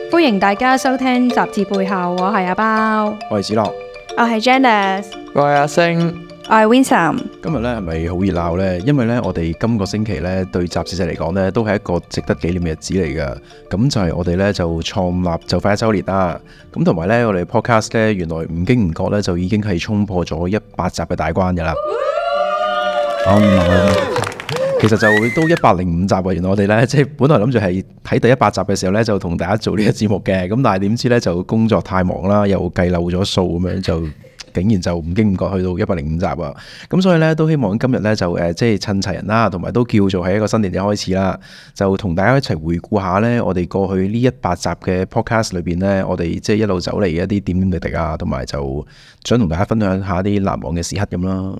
歡迎大家收聽雜誌背後，我係阿包，我係子樂，我係 Janice，我係阿星，我係 Winsome。今日咧係咪好熱鬧呢？因為咧我哋今個星期咧對雜誌社嚟講咧都係一個值得紀念嘅日子嚟噶。咁就係我哋咧就創立就快1週年啦。咁同埋咧我哋 podcast 咧原來唔經唔覺咧就已經係衝破咗100集嘅大關噶啦。其實就都105集啊！原來我哋咧即係本來諗住係喺第100集嘅時候咧就同大家做呢個節目嘅，咁但係點知咧就工作太忙啦，又計漏咗數咁樣就竟然就唔經唔覺去到105集啊！咁所以咧都希望今日咧就即係趁齊人啦，同埋都叫做係一個新年嘅開始啦，就同大家一齊回顧下咧我哋過去呢100集嘅 podcast 裏邊咧，我哋即係一路走嚟嘅一啲點點滴滴啊，同埋就想同大家分享下啲難忘嘅時刻咁啦。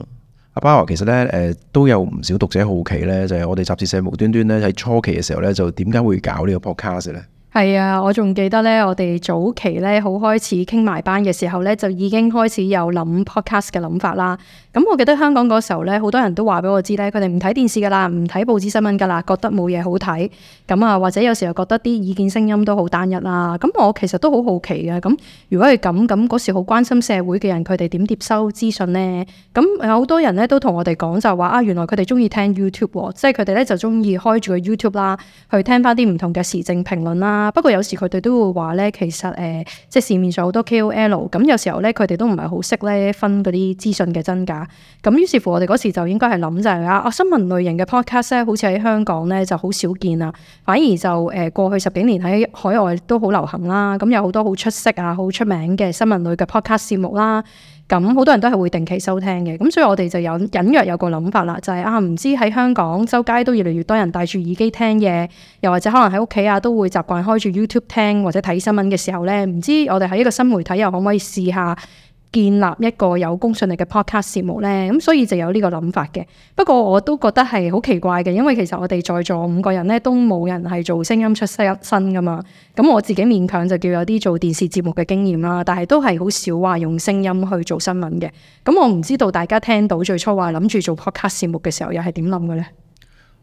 阿包其實咧都有唔少讀者好奇咧，就係我哋雜誌社無端端咧喺初期嘅時候咧，就點解會搞呢個 podcast 咧？係啊，我仲記得咧，我哋早期咧好開始傾埋班嘅時候咧，就已經開始有諗 podcast 嘅諗法啦。咁我記得香港嗰時候咧，好多人都話俾我知咧，佢哋唔睇電視噶啦，唔睇報紙新聞噶啦，覺得冇嘢好睇。咁啊，或者有時候覺得啲意見聲音都好單一啦。咁我其實都好好奇嘅。咁如果係咁嗰時好關心社會嘅人，佢哋點接收資訊呢？咁有好多人咧都同我哋講就話啊，原來佢哋中意聽 YouTube 喎，即係佢哋咧就中意開住個 YouTube 啦，去聽翻啲唔同嘅時政評論啦。不過有時佢哋都會話咧，其實即係市面上好多 KOL， 咁有時候咧佢哋都唔係好識咧分嗰啲資訊嘅真假。咁於是乎我哋嗰時就應該係諗就係新聞類型嘅 podcast 咧，好似喺香港咧就好少見啦，反而就過去10幾年喺海外都好流行啦。咁有好多好出色啊、好出名嘅新聞類嘅 podcast 節目啦。咁好多人都係會定期收聽嘅，咁所以我哋就有隱約有個諗法啦，就係唔知喺香港周街都越嚟越多人戴住耳機聽嘢，又或者可能喺屋企啊都會習慣開住 YouTube 聽或者睇新聞嘅時候呢，唔知我哋喺一個新媒體又可唔可以試下建立一個有公信力嘅 podcast 節目呢？咁所以就有呢個諗法嘅。不過我都覺得係好奇怪嘅，因為其實我哋在座5個人呢，都冇人係做聲音出身噶嘛。咁我自己勉強就叫有啲做電視節目嘅經驗啦，但係都係好少話用聲音去做新聞嘅。咁我唔知道大家聽到最初話諗住做 podcast 節目嘅時候又係點諗嘅呢？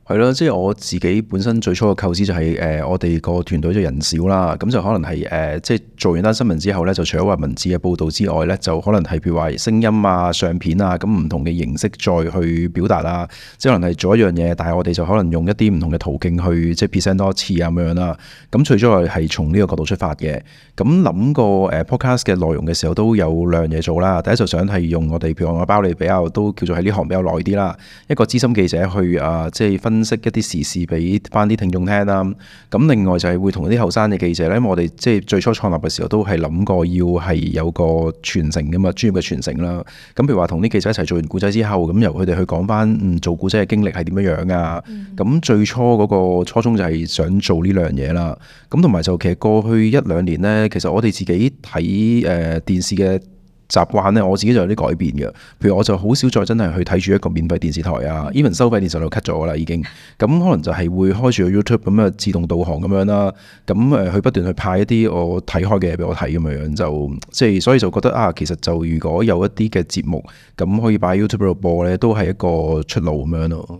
係咯，即係我自己本身最初嘅構思就係我哋個團隊就人少啦，咁就可能係即係做完單新聞之後咧，就除咗話文字嘅報導之外咧，就可能係譬如話聲音啊、相片啊，咁唔同嘅形式再去表達啦。即係可能係做一樣嘢，但係我哋就可能用一啲唔同嘅途徑去即係 present 多一次咁樣啦。咁最初係從呢個角度出發嘅。咁諗過podcast 嘅內容嘅時候都有2樣嘢做啦。第一就想係用我哋譬如我包你比較都叫做喺呢行比較耐啲啦，一個資深記者去即係分析一啲時事俾翻啲聽眾聽啦。咁另外就係會同啲後生嘅記者咧，因為我哋即係最初創立嘅時候都係諗過要係有個傳承噶嘛，專業嘅傳承啦。咁譬如話同啲記者一齊做完故仔之後，咁由佢哋去講翻做故仔嘅經歷係點樣樣啊。咁最初嗰個初衷就係想做呢兩樣嘢啦。咁同埋就其實過去1-2年呢，其實我哋自己睇電視嘅習慣咧，我自己就有啲改變嘅。譬如我就好少再真係去睇住一個免費電視台啊，even 收費電視台 cut 咗啦已經。咁可能就係會開住個 YouTube 咁自動導航咁樣啦。咁去不斷去派一啲我睇開嘅嘢俾我睇咁樣，就即係所以就覺得其實就如果有一啲嘅節目咁可以擺 YouTube 度播咧，都係一個出路咁樣咯。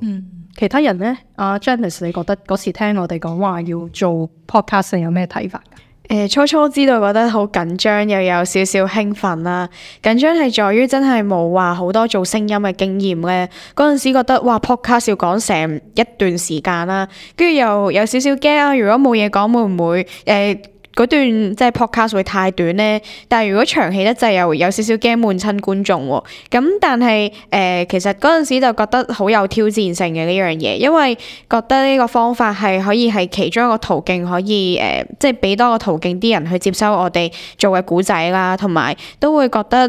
其他人呢？阿 Janice 你覺得嗰時聽我哋講話要做 podcast 有咩睇法？初初知道覺得好緊張，又有少少興奮啦。緊張係在於真係冇話好多做聲音嘅經驗咧。嗰陣時覺得哇 podcast 要講成一段時間啦，跟住又有少少驚啊！如果冇嘢講，會唔會嗰段即係 podcast 會太短呢？但係如果長氣得滯，又有少少驚悶親觀眾喎。咁但係其實嗰陣時就覺得好有挑戰性嘅呢樣嘢，因為覺得呢個方法係可以係其中一個途徑，可以即係俾多個途徑啲人去接收我哋做嘅故仔啦，同埋都會覺得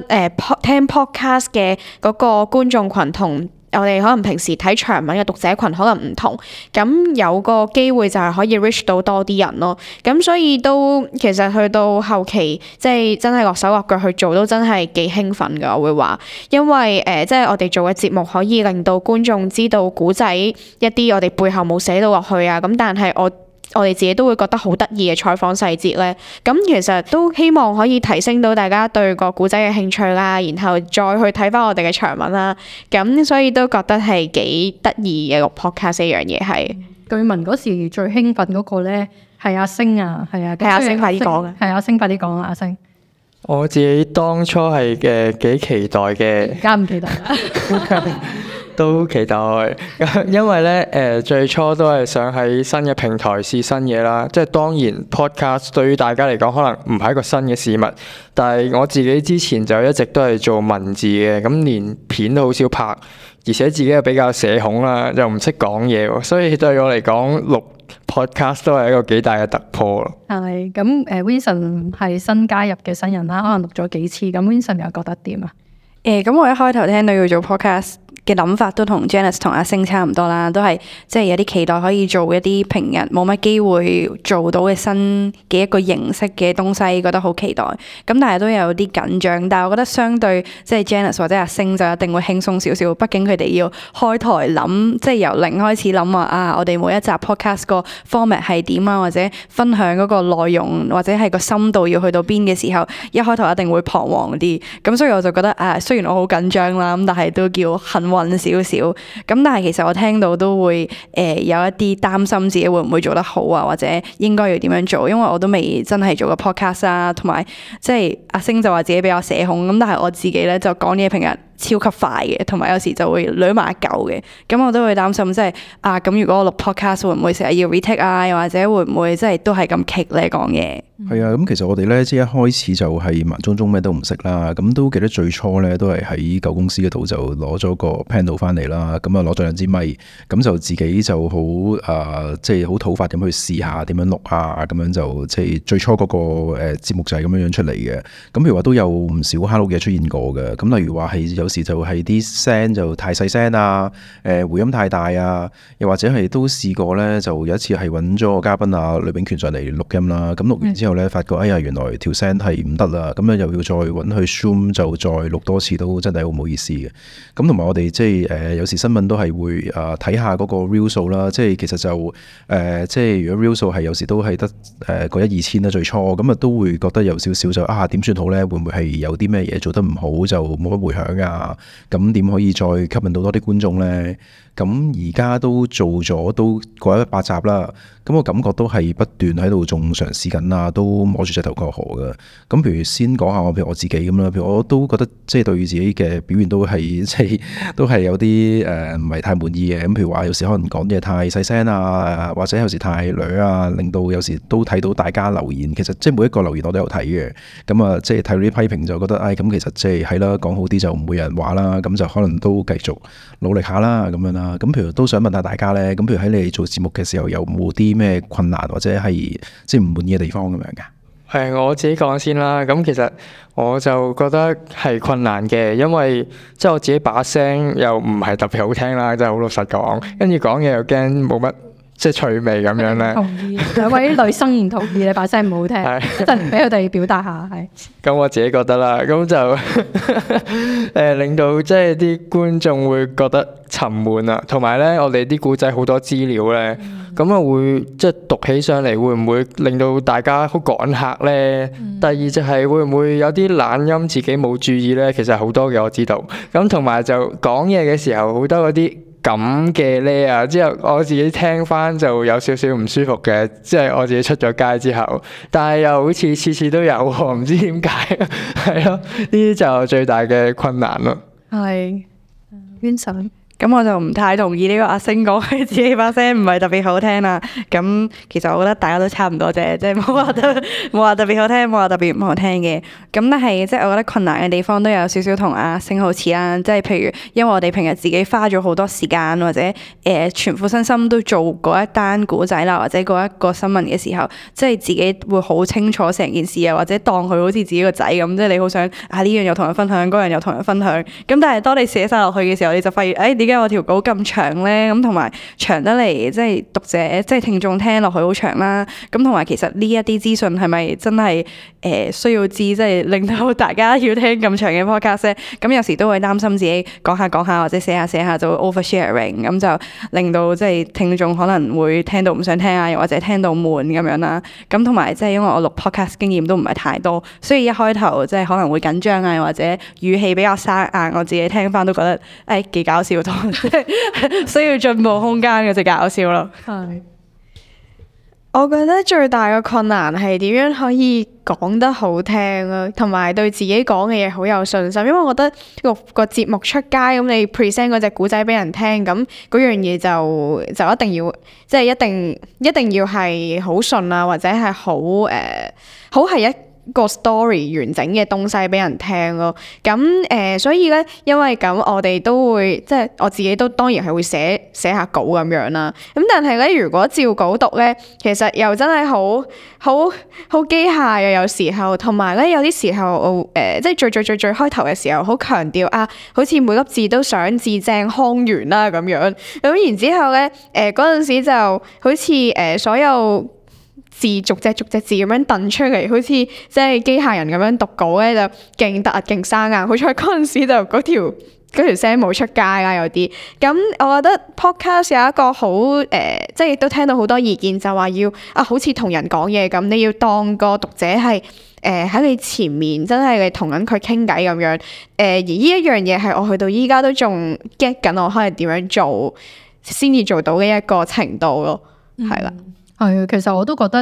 聽 podcast 嘅嗰個觀眾群同我哋可能平時睇長文嘅讀者群可能唔同，咁有個機會就係可以 reach 到多啲人咯。咁所以都其實去到後期，即係真係落手落腳去做，都真係幾興奮㗎。我會話，因為即係我哋做嘅節目可以令到觀眾知道古仔一啲我哋背後冇寫到落去啊。咁但係我哋自己都會覺得好得意嘅採訪細節咧，咁其實都希望可以提升到大家對個古仔嘅興趣啦，然後再去睇翻我哋嘅長文啦，咁所以都覺得係幾得意嘅個 podcast 一樣嘢係。據聞嗰時最興奮嗰個咧係阿星啊，係啊，係阿星快啲講啊，係阿星快啲講啊，阿星。我自己當初係幾期待嘅，而家唔記得啦。都期待，因為咧最初都係想喺新嘅平台試新嘢啦。即係當然 podcast 對於大家嚟講可能唔係一個新嘅事物，但係我自己之前就一直都係做文字嘅，咁連片都好少拍，而且自己又比較社恐啦，又唔識講嘢喎，所以對我嚟講錄 podcast 都係一個幾大嘅突破咯。係咁Vincent 係新加入嘅新人啦，可能錄咗幾次，咁 Vincent 又覺得點啊？咁我一開頭聽到要做 podcast嘅諗法都同 Janice 同阿星差唔多啦，都係即係有啲期待可以做一啲平日冇乜機會做到嘅新嘅一個形式嘅東西，覺得好期待。咁但係都有啲緊張，但係我覺得相對即係 Janice 或者阿星就一定會輕鬆少少，畢竟佢哋要開台諗，即係由零開始諗話啊，我哋每一集 podcast 個 format 係點啊，或者分享嗰個內容或者係個深度要去到邊嘅時候，一開頭一定會彷徨啲。咁所以我就覺得雖然我好緊張啦，咁但係都叫幸運少少。咁但係其實我聽到都會有一啲擔心自己會唔會做得好啊，或者應該要點樣做，因為我都未真係做過 podcast 啊，同埋即係阿星就話自己比較社恐，咁但係我自己咧就講嘢平日超級快嘅，同埋有時就會攣埋一嚿嘅，咁我都會擔心即係咁如果我錄 podcast 會唔會成日要 retake 啊，又或者會唔會即係都係咁棘咧講嘢？係啊，咁其實我哋咧即係一開始就係盲中中咩都唔識啦，咁都記得最初咧都係喺舊公司嗰度就攞咗個 panel 翻嚟啦，咁啊攞咗兩支咪，咁就自己就好即係好土法咁去試下點樣錄啊，咁樣就即係最初嗰個節目就係咁樣樣出嚟嘅。咁譬如話都有唔少 hello 嘅出現過嘅，咁例如話係有時就係啲聲就太細聲啊，回音太大啊，又或者係都試過咧，就有一次係揾咗個嘉賓啊呂秉權上嚟錄音啦，咁錄完之後咧發覺哎呀原來條聲係唔得啦，咁樣又要再揾去 zoom 就再錄多次，都真係好唔好意思嘅。咁同埋我哋即係有時新聞都係會睇下嗰個 view 數啦，即係其實就即係如果 view 數係有時都係得個1-2千啦最初，咁啊都會覺得有少少就點算好咧？會唔會係有啲咩嘢做得唔好就冇乜迴響啊？咁點可以再吸引到多啲觀眾咧？咁而家都做咗都過100集啦，咁我感覺都係不斷喺度仲嘗試緊啦，都摸住隻頭過河嘅。咁譬如先講下譬如我自己咁啦，譬如我都覺得即係對自己嘅表現都係即係都係有啲唔係太滿意嘅。咁譬如話有時可能講嘢太細聲啊，或者有時太嗲啊，令到有時都睇到大家留言，其實即係每一個留言我都有睇嘅。咁啊即係睇到啲批評就覺得咁其實即係係啦，講好啲就唔會有人話啦，咁就可能都繼續努力下啦咁樣啦。咁譬如都想問下大家咧，咁譬如喺你哋做節目嘅時候有冇啲咩困難或者係即係唔滿意嘅地方咁樣㗎？係我自己講先啦，咁其實我就覺得係困難嘅，因為即係我自己把聲又唔係特別好聽啦，真係好老實講，跟住講嘢又驚冇乜即係趣味咁樣咧。同意，兩位女生唔同意你把聲唔好聽，一陣俾佢哋表達下係。咁我自己覺得啦，咁就令到即係啲觀眾會覺得沉悶啊，同埋咧我哋啲古仔好多資料咧，咁啊會即係讀起上嚟會唔會令到大家好趕客咧？第二就係會唔會有啲懶音自己冇注意咧？其實好多嘅我知道，咁同埋就講嘢嘅時候好多嗰啲咁嘅咧啊，之後我自己聽翻就有少少唔舒服嘅，即係我自己出咗街之後，但係又好似次次都有喎，唔知點解，係咯，呢啲就最大嘅困難咯。係，Vincent。咁我就唔太同意呢個阿星講佢自己把聲唔係特別好聽啦。咁其實我覺得大家都差唔多啫，即係冇話特別好聽，冇話特別唔好聽嘅。咁但係即係我覺得困難嘅地方都有少少同阿星好似啦。即係譬如因為我哋平日自己花咗好多時間或者全副身心都做嗰一單古仔啦，或者嗰一個新聞嘅時候，即係自己會好清楚成件事啊，或者當佢好似自己個仔咁，即係你好想呢樣又同人分享，嗰樣又同人分享。咁但係當你寫晒落去嘅時候，你就發現點解我條稿咁長咧？咁同埋長得嚟，即係讀者即係聽眾聽落去好長啦。咁同埋其實呢一啲資訊係咪真係需要知，即係令到大家要聽咁長嘅 podcast 咧？咁有時都會擔心自己講下講下或者寫下就會 oversharing，咁就令到即係聽眾可能會聽到唔想聽啊，又或者聽到悶咁樣啦。咁同埋即係因為我錄 podcast 經驗都唔係太多，所以一開頭即係可能會緊張啊，或者語氣比較生硬，我自己聽翻都覺得幾搞笑需要進步空間嘅，就搞笑咯。係，我覺得最大嘅困難係點樣可以講得好聽啊，同埋對自己講嘅嘢好有信心。因為我覺得錄個節目出街，咁你 present 嗰隻古仔俾人聽，咁嗰樣嘢就一定要，即係一定要係好順啊，或者係好係一個 story 完整嘅東西俾人聽咯。咁所以咧，因為咁我哋都會，即係我自己都當然係會寫下稿咁樣啦。咁但係咧，如果照稿讀咧，其實又真係好機械啊，有時候。同埋咧，有啲時候即係最開頭嘅時候，好強調啊，好似每粒字都想字正腔圓啦咁樣。咁然之後咧，嗰陣時就好似所有字逐隻字咁樣掟出嚟，好似即係機械人咁樣讀稿咧，就勁突勁生硬。好彩嗰陣時就嗰條聲冇出街啦，有啲。咁我覺得 podcast 有一個好即係亦都聽到好多意見，就話要好似同人講嘢咁，你要當個讀者係喺你前面，真係你同緊佢傾偈咁樣。而呢一樣嘢係我去到依家都仲 get 緊，我可能點樣做先至做到嘅一個程度咯，係啦。係啊，其實我都覺得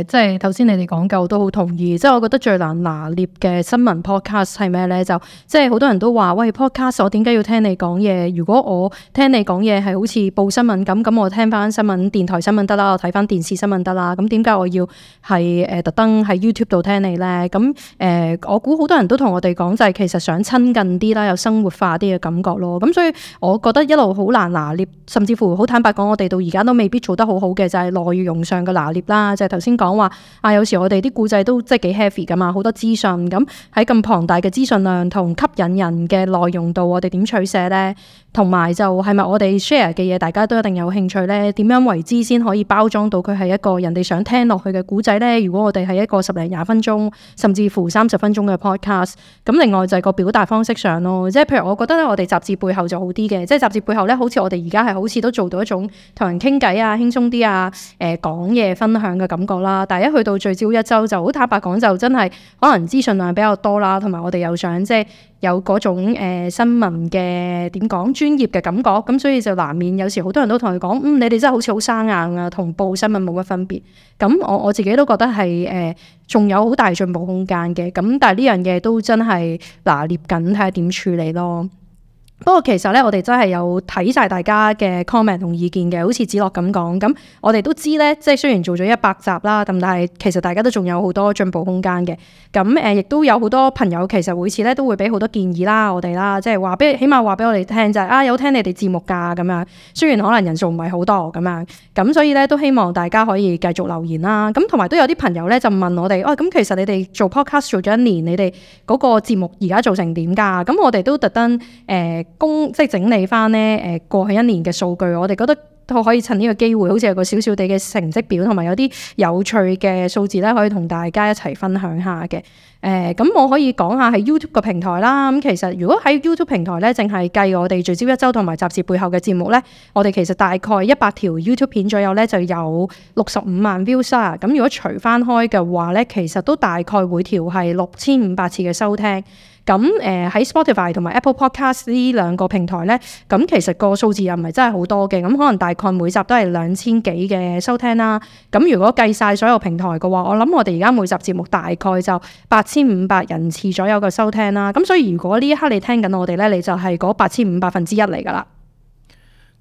即係頭先你哋講嘅我都好同意。即係我覺得最難拿捏嘅新聞 podcast 係咩咧？就即係好多人都話喂 podcast， 我點解要聽你講嘢？如果我聽你講嘢係好似報新聞咁，我聽翻新聞電台新聞得啦，我睇翻電視新聞得啦。咁點解我要係特登喺 YouTube 度聽你咧？咁我估好多人都同我哋講就係其實想親近啲啦，有生活化啲嘅感覺咯。咁所以我覺得一路好難拿捏，甚至乎好坦白講，我哋到而家都未必做得好好嘅，就係內容上嘅拿捏啦。就係頭先講話有時我哋啲故仔都即係幾 heavy 噶嘛，好多資訊。咁喺咁龐大嘅資訊量同吸引人嘅內容度，我哋點取捨咧？同埋就係咪我哋 share 嘅嘢，大家都一定有興趣咧？點樣為之先可以包裝到佢係一個人哋想聽落去嘅故仔咧？如果我哋係一個10零20分鐘，甚至乎30分鐘嘅 podcast， 咁另外就係個表達方式上咯。即係譬如我覺得咧，我哋雜誌背後就好啲嘅，即係雜誌背後咧，好似我哋而家係好似都做到一種同人傾偈啊、輕鬆啲啊、講嘢分享嘅感覺啦。但係一去到聚焦一周，就好坦白講，就真係可能資訊量比較多啦，同埋我哋又想即係有嗰種新聞嘅點講專業嘅感覺，咁所以就難免有時好多人都同佢講，你哋真係好似好生硬啊，同報新聞冇乜分別。咁我自己都覺得係仲有好大進步空間嘅。咁但係呢樣嘢都真係拿捏緊，睇下點處理咯。不過其實咧，我哋真係有睇晒大家嘅 comment 同意見嘅，好似子樂咁講。咁我哋都知咧，即係雖然做咗100集啦，咁但係其實大家都仲有好多進步空間嘅。咁亦都有好多朋友其實每次咧都會俾好多建議啦，我哋啦，即係起碼話俾我哋聽就係有聽你哋節目㗎咁樣。雖然可能人數唔係好多咁樣，咁所以咧都希望大家可以繼續留言啦。咁同埋都有啲朋友咧就問我哋，咁其實你哋做 podcast 做咗1年，你哋嗰個節目而家做成點㗎？咁我哋都特登即係整理翻咧過去1年嘅數據，我哋覺得都可以趁呢個機會，好似有個小小地嘅成績表，同埋有啲有趣嘅數字咧，可以同大家一齊分享下嘅。咁我可以講下喺 YouTube 個平台啦。咁其實如果喺 YouTube 平台咧，淨係計我哋聚焦一周同埋雜誌背後嘅節目咧，我哋其實大概100條 YouTube 片左右咧，就有65萬 views 啊。咁如果除翻開嘅話咧，其實都大概每條係6500次嘅收聽。咁喺 Spotify 同埋 Apple Podcast 呢2個平台咧，咁其實個數字又唔係真係好多嘅，咁可能大概每集都係2000幾嘅收聽啦。咁如果計晒所有平台嘅話，我諗我哋而家每集節目大概就8500人次左右嘅收聽啦。咁所以如果呢一刻你聽緊我哋咧，你就係嗰8500%嚟㗎啦。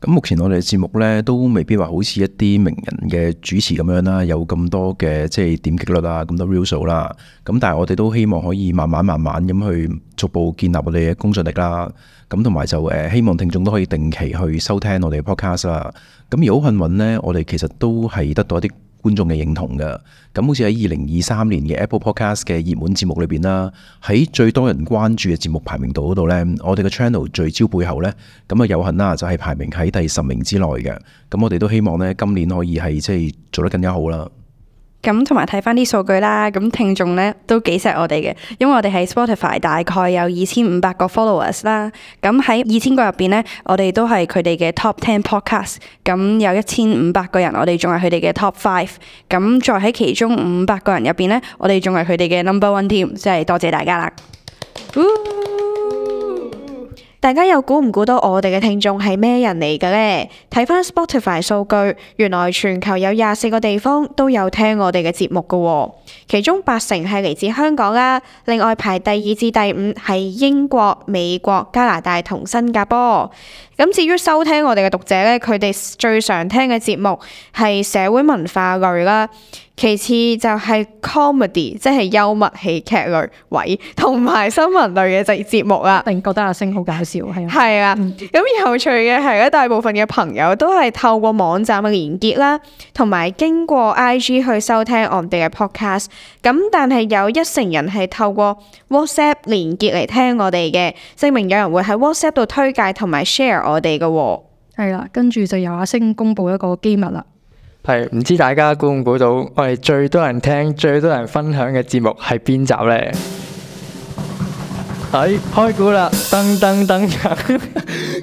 咁目前我哋嘅節目咧都未必話好似一啲名人嘅主持咁樣啦，有咁多嘅即係點擊率啊，咁多 view 數啦。咁但係我哋都希望可以慢慢咁去逐步建立我哋嘅公信力啦。咁同埋就希望聽眾都可以定期去收聽我哋嘅 podcast 啦。咁而好幸運呢，我哋其實都係得到一啲觀眾嘅認同嘅。咁好似喺2023年嘅 Apple Podcast 嘅熱門節目裏邊啦，喺最多人關注嘅節目排名度嗰度呢，我哋嘅 channel 聚焦背後呢，咁有幸啦，就係排名喺第10名之內嘅。咁我哋都希望呢，今年可以係即係做得更加好啦。咁同埋睇翻啲數據啦，咁聽眾咧都幾錫我哋嘅，因為我哋喺 Spotify 大概有2500個 followers 啦，咁喺2000個入邊咧，我哋都係佢哋嘅 top 10 podcast，咁有1500個人，我哋仲係佢哋嘅 top 5，咁再喺其中500個人入邊咧，我哋仲係佢哋嘅 number 1 添，即係多謝大家啦。大家又估唔估到我哋嘅聽眾係咩人嚟嘅呢？睇翻 Spotify 數據，原來全球有24個地方都有聽我哋嘅節目㗎喎，其中80%係嚟自香港啦。另外排第2至第5係英國、美國、加拿大同新加坡。咁至於收聽我哋嘅讀者呢，佢哋最常聽嘅節目係社會文化類啦。其次就係 comedy， 即係幽默喜劇類位，同埋新聞類嘅節目啦。一定覺得阿星好搞笑，係啊。係啊，咁有趣嘅係咧，大部分嘅朋友都係透過網站嘅連結啦，同埋經過 IG 去收聽我哋嘅 podcast。咁但係有1成人係透過 WhatsApp 連結嚟聽我哋嘅，證明有人會喺 WhatsApp 度推介同埋 share 我哋嘅喎。係啦，跟住就由阿星公佈一個機密啦。係唔知大家估唔估到我哋最多人聽、最多人分享嘅節目係邊集呢？開估啦！噔噔噔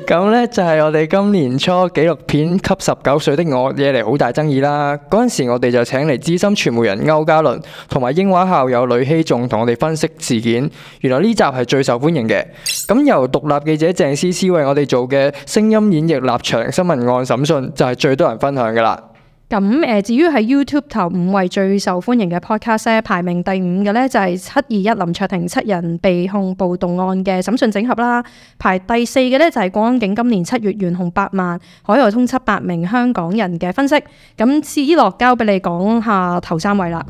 咁呢就係我哋今年初紀錄片《給19歲的我》惹嚟好大爭議啦。嗰陣時我哋就請嚟資深傳媒人歐嘉倫同埋英華校友呂希仲同我哋分析事件。原來呢集係最受歡迎嘅。咁由獨立記者鄭思思為我哋做嘅聲音演繹立場新聞案審訊就係最多人分享㗎啦。咁至於喺 YouTube 頭5位最受歡迎嘅 podcast 咧，排名第5嘅咧就係721林卓廷7人被控暴動案嘅審訊整合啦。排第4嘅咧就係國安警今年7月懸紅8萬海外通緝8名香港人嘅分析。咁思樂交俾你講下頭3位啦。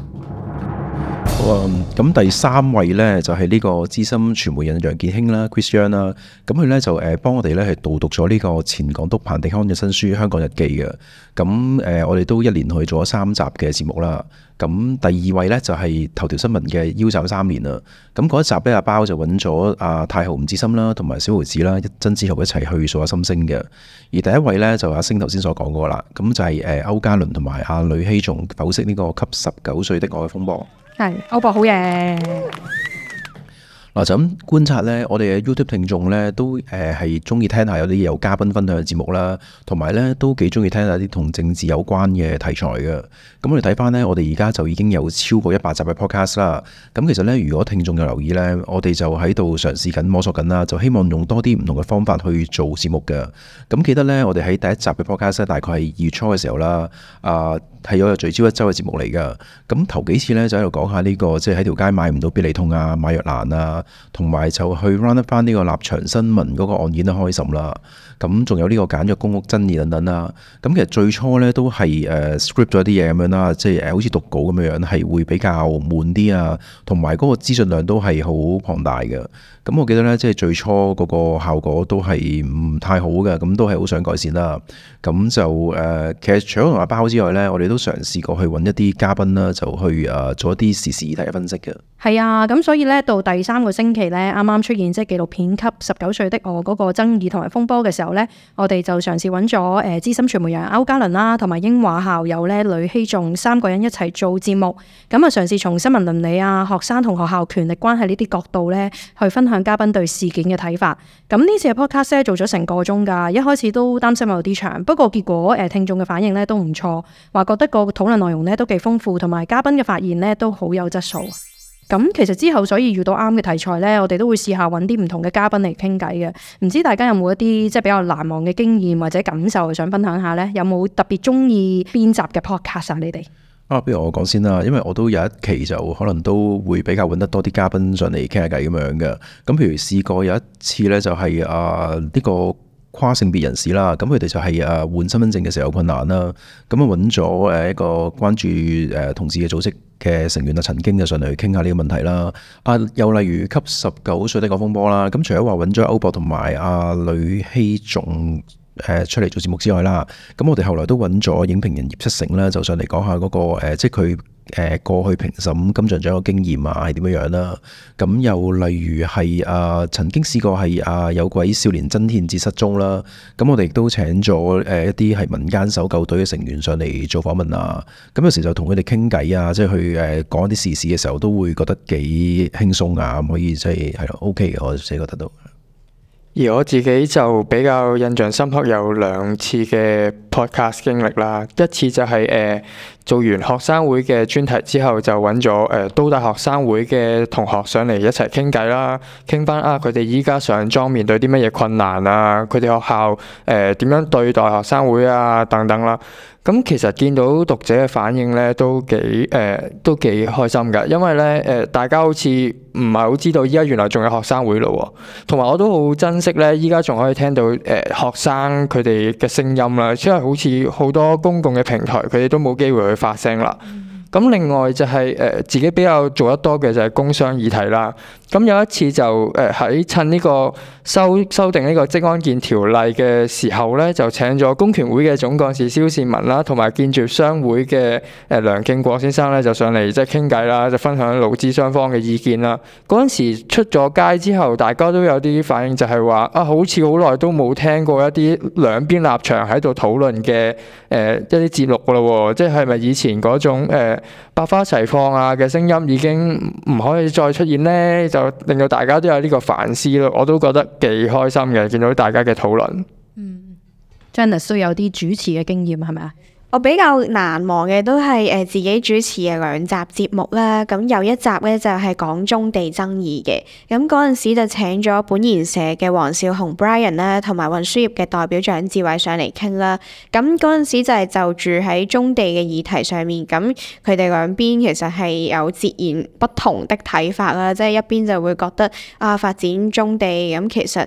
好啊，咁第3位呢，就係呢個資深傳媒人楊健興啦 Chris Young 啦，咁佢呢，就幫我哋呢係導讀咗呢個前港督彭定康嘅新書《香港日記》嘅，咁我哋都一連去做咗3集嘅節目啦。咁第2位呢，就係頭條新聞嘅腰斬3年啦。咁嗰一集呢，阿包就揾咗阿太后吳志森啦，同埋小豪子啦、曾志豪一齊去數下心聲嘅。而第1位呢，就阿星頭先所講過啦，咁就係歐嘉倫同埋阿呂希仲剖析呢個給19歲的我嘅風波。係歐博好嘢。嗱，就咁觀察呢，我哋嘅 YouTube 聽眾呢都係中意聽下有啲有嘉賓分享嘅節目啦，同埋呢都幾中意聽下啲同政治有關嘅題材嘅。咁我哋睇翻呢，我哋而家就已經有超過100集嘅 podcast 啦。咁其實呢，如果聽眾有留意呢，我哋就喺度嘗試緊摸索緊啦，就希望用多啲唔同嘅方法去做節目嘅。咁記得呢，我哋喺第1集嘅 podcast 大概係2月初嘅時候啦，係有聚焦一周嘅節目嚟㗎。咁頭幾次呢，就喺度講下呢個即係喺條街買唔到必理痛啊、買藥難啊。同埋就去 run 翻呢個立場新聞嗰個案件都開審啦，咁仲有呢個簡約公屋爭議等等啦。咁其實最初呢都係script 咗啲嘢咁樣啦，即係好似讀稿咁樣，係會比較悶啲啊，同埋嗰個資訊量都係好龐大嘅。咁我記得呢，即係最初嗰個效果都係唔太好嘅，咁都係好想改善啦。咁就其實除咗同阿包之外呢，我哋都嘗試過去揾一啲嘉賓啦，就去做一啲時事議題嘅分析嘅。係啊，咁所以呢，到第3個星期呢，啱啱出現即係紀錄片《給19歲的我》嗰個爭議同埋風波嘅時候呢，我哋就嘗試揾咗資深傳媒人歐嘉倫啦，同埋英華校友呢呂希仲3個人一齊做節目，咁啊嘗試從新聞倫理啊、學生同學校權力關係呢啲角度呢，去分享嘉賓對事件嘅睇法。咁呢次嘅 podcast 咧做咗成個鐘㗎，一開始都擔心有啲長，不過結果聽眾嘅反應呢都唔錯，話覺得個討論內容呢都幾豐富，同埋嘉賓嘅發言呢都好有質素。咁其實之後所以遇到啱嘅題材呢，我哋都會試下揾啲唔同嘅嘉賓嚟傾偈嘅。唔知大家有冇一啲即係比較難忘嘅經驗或者感受想分享下呢？有冇特別中意邊集嘅 podcast 啊？你哋？不如我講先啦，因為我都有一期就可能都會比較揾得多啲嘉賓上嚟傾下偈咁樣嘅。咁譬如試過有一次呢，就係呢個跨性別人士啦，咁佢哋就係換身份證嘅時候有困難啦，咁啊揾咗一個關注同志嘅組織嘅成員陳經就上嚟傾下呢個問題啦。又例如給19歲的我風波啦，咁除咗話揾咗歐博同埋呂希仲出嚟做節目之外啦，咁我哋後來都揾咗影評人葉七成啦，就上嚟講下嗰個即係佢過去評審金像獎嘅經驗係點樣樣啦。咁又例如係曾經試過係有位少年曾憲哲失蹤啦，咁我哋亦都請咗一啲係民間搜救隊嘅成員上嚟做訪問啊。咁有時就同佢哋傾偈啊，即係去講一啲時事嘅時候，都會覺得幾輕鬆啊，可以即係咯 OK 嘅，我自己覺得都。而我自己就比較印象深刻有2次嘅 podcast 經歷啦，一次就係做完學生會嘅專題之後，就揾咗都大學生會嘅同學上嚟一齊傾偈啦，傾翻佢哋依家上莊面對啲乜嘢困難啊，佢哋學校點樣對待學生會啊等等啦。咁其實見到讀者嘅反應咧，都幾開心㗎，因為咧大家好似唔係好知道依家原來仲有學生會咯喎，同埋我都好珍惜咧，依家仲可以聽到學生佢哋嘅聲音啦，因為好似好多公共嘅平台佢哋都冇機會去發聲啦。咁另外就係自己比較做得多嘅就係工商議題啦。咁有一次就喺趁呢個修訂呢個職安健條例嘅時候咧，就請咗工權會嘅總幹事蕭倩文啦，同埋建築商會嘅梁敬國先生咧，就上嚟即係傾偈啦，就分享勞資雙方嘅意見啦。嗰陣時出咗街之後，大家都有啲反應，就係話好似好耐都冇聽過一啲兩邊立場喺度討論嘅一啲節目噶咯喎，即係咪以前嗰種百花齊放嘅聲音已經唔可以再出現呢？就令到大家都有呢個反思咯，我都覺得幾開心嘅，見到大家嘅討論。Janice 都有啲主持嘅經驗係咪啊？我比較難忘嘅都係自己主持嘅2集節目啦。咁有一集咧就係講棕地爭議嘅。咁嗰陣時就請咗本研社嘅黃少雄 Brian 啦，同埋運輸業嘅代表蔣志偉上嚟傾啦。咁嗰陣時就係就住喺棕地嘅議題上面，咁佢哋兩邊其實係有截然不同的睇法啦。即係一邊就會覺得發展棕地咁其實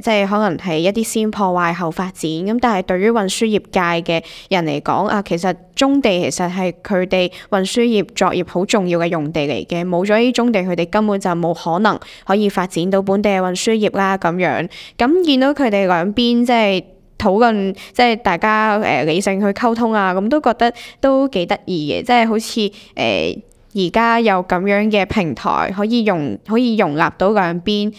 即係可能係一啲先破壞後發展。咁但係對於運輸業界嘅人嚟講其實棕地其實係佢哋運輸業作業好重要嘅用地嚟嘅，冇咗呢棕地，佢哋根本就冇可能可以發展到本地嘅運輸業啦。咁樣咁見到佢哋兩邊即係討論，即係大家理性去溝通咁都覺得都幾得意嘅，即係好似而家有咁樣嘅平台可以容納到兩邊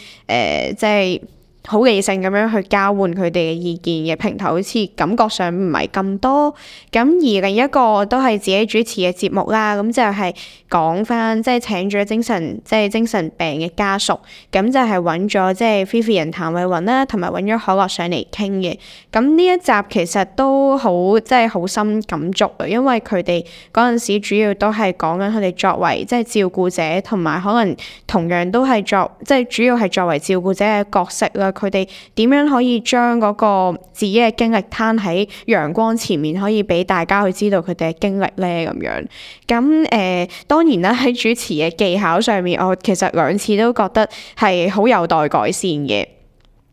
即係好理性咁樣去交換佢哋嘅意見嘅平台，好似感覺上唔係咁多。咁而另一個都係自己主持嘅節目啦，咁就係講翻即係請咗精神病嘅家屬，咁就係揾咗即係 Vivian 譚慧雲啦，同埋揾咗可樂上嚟傾嘅。咁呢一集其實都好即係好深感觸啊，因為佢哋嗰陣時主要都係講緊佢哋作為即係照顧者，同埋可能同樣都係即係主要係作為照顧者嘅角色啦。佢哋點樣可以將嗰個自己嘅經歷攤喺陽光前面，可以俾大家去知道佢哋嘅經歷咧咁樣。咁當然啦，喺主持嘅技巧上面，我其實2次都覺得係好有待改善嘅。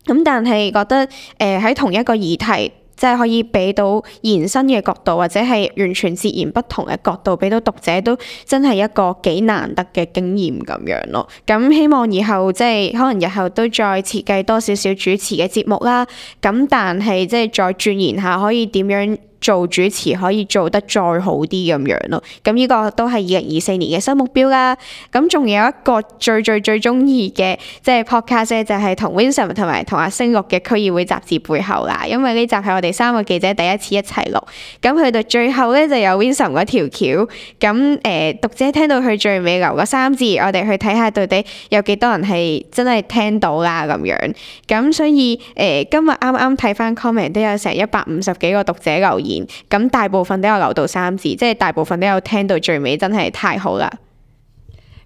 咁但係覺得喺同一個議題，即係可以俾到延伸嘅角度，或者係完全截然不同嘅角度，俾到讀者都真係一個幾難得嘅經驗咁樣咯。咁希望以後即係可能日後都再設計多少少主持嘅節目啦。咁但係即係再鑽研下，可以點樣做主持可以做得再好啲咁樣咯。咁呢個都係2024年嘅新目標啦。咁仲有一個最中意嘅即係 podcast 咧，就係同 Vincent 同埋同阿星錄嘅區議會雜誌背後啦。因為呢集係我哋3個記者第一次一齊錄。咁去到最後咧就有 Vincent 嗰條橋。咁讀者聽到佢最尾留嗰3字，我哋去睇下到底有幾多人係真係聽到啦咁樣。咁所以今日啱啱睇翻 comment 都有成150幾個讀者留言。咁大部分都有留到3字，即係大部分都有聽到最尾，真係太好啦！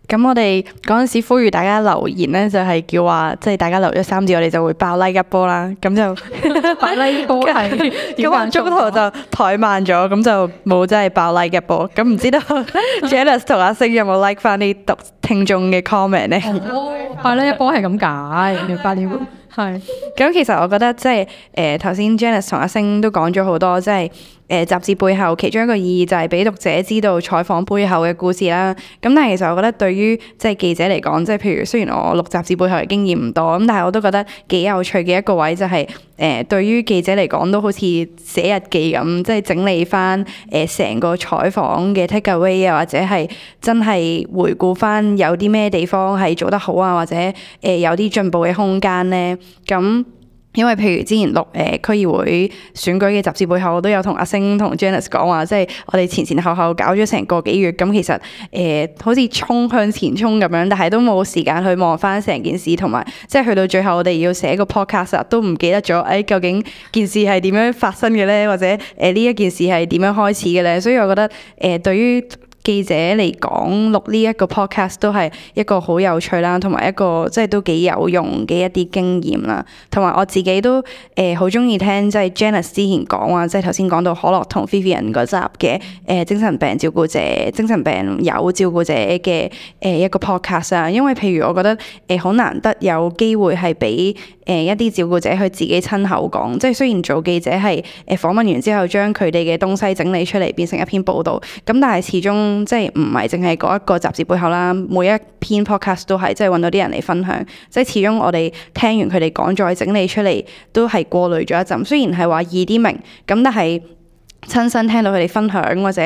咁我哋嗰陣時呼籲大家留言咧，就係叫話，即係大家留咗3字，我哋就會爆 like 一波啦。咁就爆 like 波係咁中途就怠慢咗，咁就冇真係爆 like 一波。咁唔知道 Janice 同阿星有冇 like 翻啲聽眾嘅 comment 咧？爆 like 一波係咁解，明白了。係，咁其實我覺得即係頭先 Janice 同阿星都講咗好多，即係雜誌背後其中一個意義就係俾讀者知道採訪背後嘅故事啦。咁但係其實我覺得對於即係記者嚟講，即係譬如雖然我錄雜誌背後嘅經驗唔多，咁但係我都覺得幾有趣嘅一個位就係對於記者嚟講都好似寫日記咁，即係整理翻成個採訪嘅 take away 啊，或者係真係回顧翻有啲咩地方係做得好啊，或者有啲進步嘅空間咧。咁因為譬如之前錄區議會選舉嘅集誌背後，我都有同阿星同 Janice 講話，即係我哋前前後後搞咗成個幾月，咁其實好似向前衝咁樣，但係都冇時間去望翻成件事，同埋即係去到最後我哋要寫個 podcast 都唔記得咗，究竟件事係點樣發生嘅咧，或者呢一件事係點樣開始嘅咧，所以我覺得對於記者嚟講，錄呢一個 podcast 都係一個好有趣啦，同埋一個即係都幾有用嘅一啲經驗啦。同埋我自己都好中意聽，即係 Janice 之前講話，即係頭先講到可樂同 Vivian 嗰集嘅精神病照顧者、精神病友照顧者嘅一個 podcast 啊。因為譬如我覺得好難得有機會係俾一啲照顧者去自己親口講，即係雖然做記者係訪問完之後將佢哋嘅東西整理出嚟變成一篇報導，咁但係始終即係唔係淨係嗰一個雜誌背後啦，每一篇 podcast 都係即係揾到啲人嚟分享，即係始終我哋聽完佢哋講再整理出嚟都係過濾咗一陣，雖然係話易啲明，咁但係親身聽到佢哋分享或者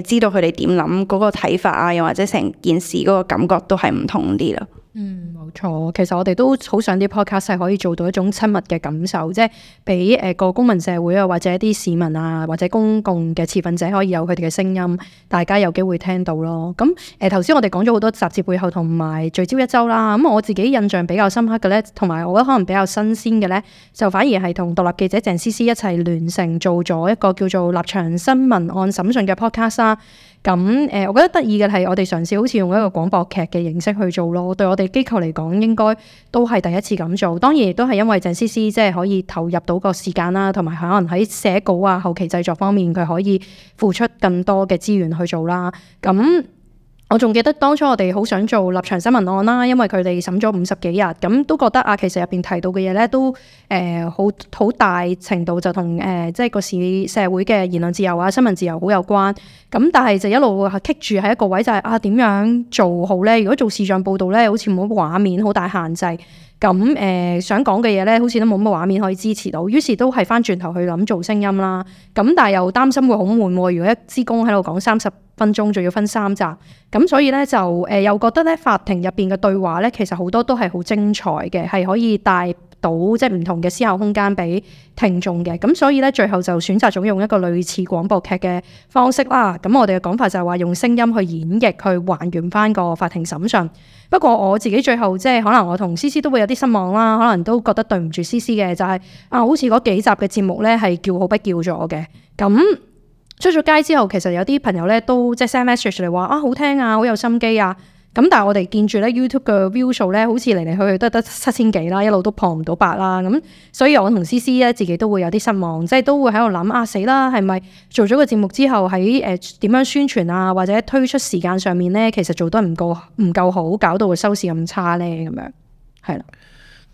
知道佢哋點諗嗰個睇法啊，又或者成件事嗰個感覺都係唔同啲啦。冇錯，其實我哋都好想啲 podcast 係可以做到一種親密嘅感受，即係俾個公民社會啊，或者一啲市民啊，或者公共嘅持份者可以有佢哋嘅聲音，大家有機會聽到咯。咁頭先我哋講咗好多雜誌背後同埋聚焦一周啦。咁我自己印象比較深刻嘅咧，同埋我覺得可能比較新鮮嘅咧，就反而係同獨立記者鄭思思一齊聯成做咗一個叫做立場新聞案審訊嘅 podcast 啦。咁我覺得得意嘅係我哋嘗試好似用一個廣播劇嘅形式去做咯。對我哋機構嚟講，應該都係第一次咁做。當然亦都係因為鄭思思即係可以投入到個時間啦，同埋可能喺寫稿啊、後期製作方面，佢可以付出更多嘅資源去做啦。咁我仲記得當初我哋好想做立場新聞案啦，因為佢哋審咗50幾日，咁都覺得啊，其實入邊提到嘅嘢咧都好大程度就同即係個社會嘅言論自由啊、新聞自由好有關。咁但係就一路係棘住喺一個位，就係點樣做好咧？如果做視像報導咧，好似冇乜畫面，好大限制。咁想講嘅嘢咧，好似都冇乜畫面可以支持到，於是都係翻轉頭去諗做聲音啦。咁但係又擔心會好悶喎，如果一支公喺度講30分鐘，仲要分3集，咁所以咧就又覺得咧法庭入邊嘅對話咧，其實好多都係好精彩嘅，係可以帶到即係唔同嘅思考空間俾聽眾嘅。咁所以咧最後就選擇咗用一個類似廣播劇嘅方式啦。咁我哋嘅講法就係話用聲音去演繹，去還原翻個法庭審訊。不過我自己最後即係可能我同思思都會有啲失望啦，可能都覺得對唔住思思嘅，就係好似嗰幾集嘅節目咧係叫好不叫咗嘅。咁出咗街之後，其實有啲朋友咧都即係 send message 嚟話好聽啊，好有心機啊。咁但係我哋見住咧 YouTube 嘅 view 數咧，好似嚟嚟去去都得7000幾啦，一路都破唔到8啦。咁所以我同思思咧自己都會有啲失望，即係都會喺度諗死啦，係咪做咗個節目之後喺點樣宣傳啊，或者推出時間上面咧，其實做得唔夠好，搞到個收視咁差咧，咁樣係啦。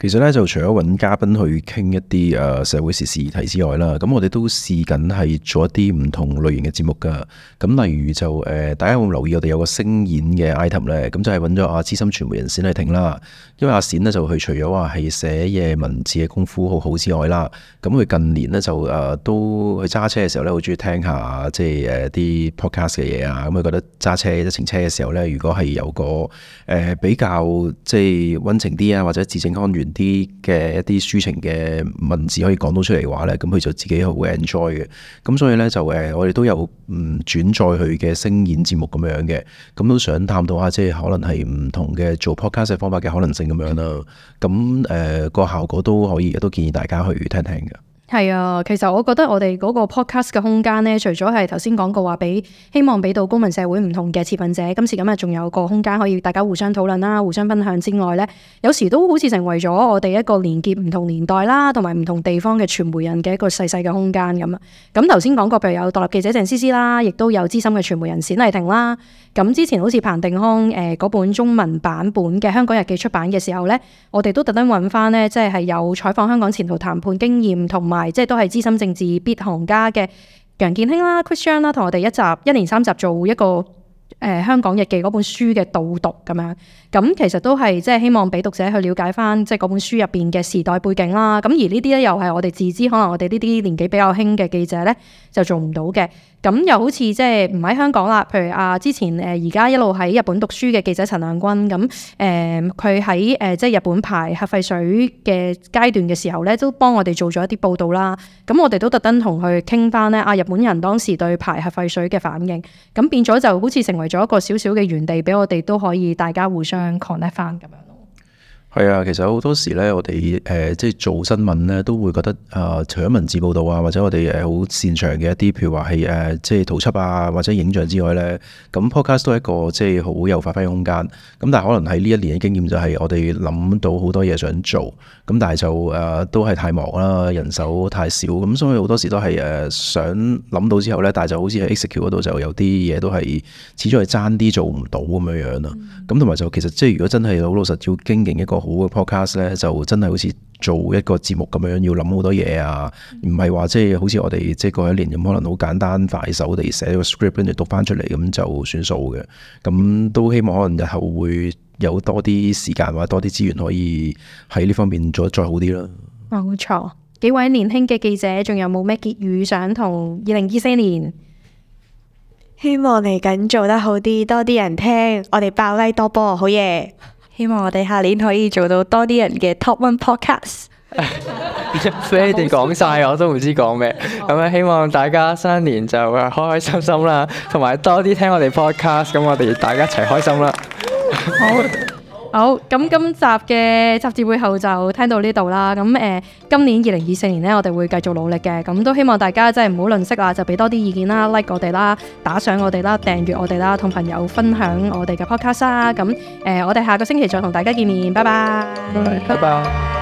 其實咧就除咗揾嘉賓去傾一啲社會時事議題之外啦，咁我哋都試緊係做一啲唔同類型嘅節目噶。咁例如就大家有冇留意我哋有個聲演嘅 item 咧？咁就係揾咗資深傳媒人冼麗婷啦。因為阿冼咧就佢除咗話係寫嘢文字嘅功夫好好之外啦，咁佢近年咧就都去揸車嘅時候咧，好中意聽下即係啲 podcast 嘅嘢啊。咁佢覺得揸車一程車嘅時候咧，如果係有個比較即係溫情啲啊，或者字正腔圓啲嘅一啲抒情嘅文字可以講到出嚟嘅話咧，咁佢就自己好 enjoy 嘅。咁所以咧就我哋都有轉載佢嘅聲演節目咁樣嘅，咁都想探討下即係可能係唔同嘅做 podcast 嘅方法嘅可能性咁樣啦。咁個效果都可以，都建議大家去聽聽嘅。係啊，其實我覺得我哋嗰個 podcast 嘅空間咧，除咗係頭先講過話希望俾到公民社會唔同嘅持份者，今時今日仲有個空間可以大家互相討論啦、互相分享之外咧，有時都好似成為咗我哋一個連結唔同年代啦，同埋唔同地方嘅傳媒人嘅一個細細嘅空間咁啊。咁頭先講過，譬如有獨立記者鄭思思啦，亦都有資深嘅傳媒人冼麗婷啦。咁之前好似彭定康嗰本中文版本嘅《香港日記》出版嘅時候咧，我哋都特登揾翻咧，即係有採訪香港前途談判經驗同埋即係都係資深政治必行家嘅楊健興啦、Christian 啦，同我哋一連3集做一個香港日記嗰本書嘅導讀咁樣。咁其實都係即係希望俾讀者去了解翻即係嗰本書入邊嘅時代背景啦。咁而呢啲咧又係我哋自知可能我哋呢啲年紀比較輕嘅記者咧就做唔到嘅。咁又好似即係唔喺香港啦。譬如之前而家一路喺日本讀書嘅記者陳亮君，咁佢喺即係日本排核廢水嘅階段嘅時候咧，都幫我哋做咗一啲報導啦。咁我哋都特登同佢傾翻咧日本人當時對排核廢水嘅反應，咁變咗就好似成為咗一個小小嘅園地，俾我哋都可以大家互相 connect 翻咁樣。係啊，其實好多時咧，我哋即係做新聞咧，都會覺得除咗文字報導啊，或者我哋好擅長嘅一啲，譬如話係即係圖輯啊，或者影像之外咧，咁 podcast 都係一個即係好有發揮空間。咁但係可能喺呢一年嘅經驗就係我哋諗到好多嘢想做，咁但係就都係太忙啦，人手太少，咁所以好多時都係想諗到之後咧，但係就好似喺 execute 嗰度就有啲嘢都係始終係爭啲做唔到咁樣樣啦。咁同埋就其實即係如果真係好老實要經營一個好嘅 podcast 咧，就真係好似做一個節目咁樣，要諗好多嘢啊，唔係話即係好似我哋即係過一年咁，可能好簡單快手地寫個 script 跟住讀翻出嚟咁就算數嘅。咁都希望可能日後會有多啲時間或者多啲資源可以喺呢方面做得再好啲啦。冇錯，幾位年輕嘅記者，仲有冇咩結語想同2024年？希望嚟緊做得好啲，多啲人聽，我哋爆like多波，好嘢！希望我哋下年可以做到多啲人嘅 Top One Podcast。俾你哋講晒，我都唔知講咩。咁啊，希望大家新一年就開開心心啦，同埋多啲聽我哋 podcast，咁我哋大家一齊開心啦。好，咁今集嘅雜誌背後就聽到呢度啦。咁今年2024年呢，我哋會繼續努力嘅。咁都希望大家真係唔好吝嗇啦，就俾多啲意見啦，like 我哋啦，打賞我哋啦，訂閱我哋啦，同朋友分享我哋嘅 podcast 啦。咁我哋下個星期再同大家見面，拜拜。拜拜。